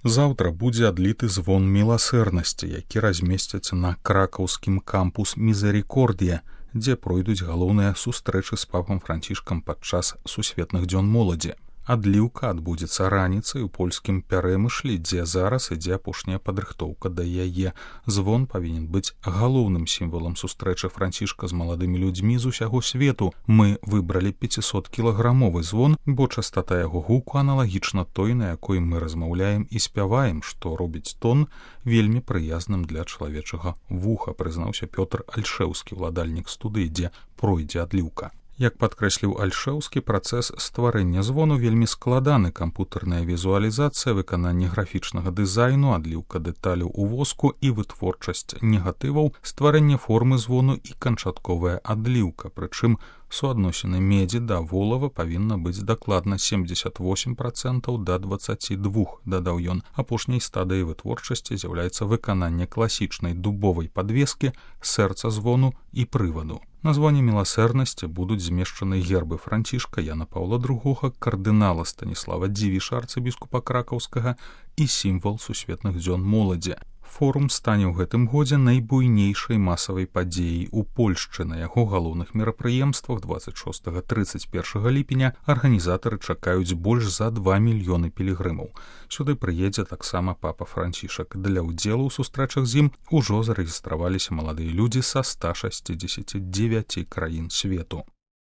Заўтра будзе адліты звон міласэрнасці, які размесцяць на кракаўскім кампус Мізерікордія, дзе пройдуць галоўныя сустрэчы з папам Францішкам падчас сусветных дзён моладзі. Адліўка адбудзецца раніцай у польскім Пярэмышлі, дзе зараз ідзе апошняя падрыхтоўка да яе. Звон павінен быць галоўным сімвалам сустрэчы Францішка з маладымі людзьмі з усяго свету. Мы выбралі 500-кілаграмовы звон, бо частота яго гуку аналагічна той, на якой мы размаўляем і спяваем, што робіць тон вельмі прыязным для чалавечага вуха, прызнаўся Пётр Альшэўскі, ўладальнік студыі, дзе пройдзе адліўка. Як падкрэсліў Альшэўскі, працэс стварэння звону вельмі складаны. Кампутарная візуалізацыя, выкананне графічнага дызайну, адліўка дэталяў у воску і вытворчасць негатываў, стварэнне формы звону і канчатковая адліўка. Прычым суадносіны медзі да волава павінна быць дакладна 78% да 22%, дадаў ён. Апошняй стадыяй вытворчасці з'яўляецца выкананне класічнай дубовай падвескі, сэрца звону і прываду. На звоне міласэрнасці будуць змешчаны гербы Францішка, Яна Паўла II, кардынала Станіслава Дзівіша, арцыбіскупа кракаўскага, і сімвал сусветных дзён моладзі. Форум стане ў гэтым годзе найбуйнейшай масавай падзеяй у Польшчы. На яго галоўных мерапрыемствах 26-31 ліпеня арганізатары чакаюць больш за 2 мільёны пілігрымаў. Сюды прыедзе таксама папа Францішак. Для ўдзелу ў сустрэчах з ім ужо зарэгістраваліся маладыя людзі са 169 краін свету.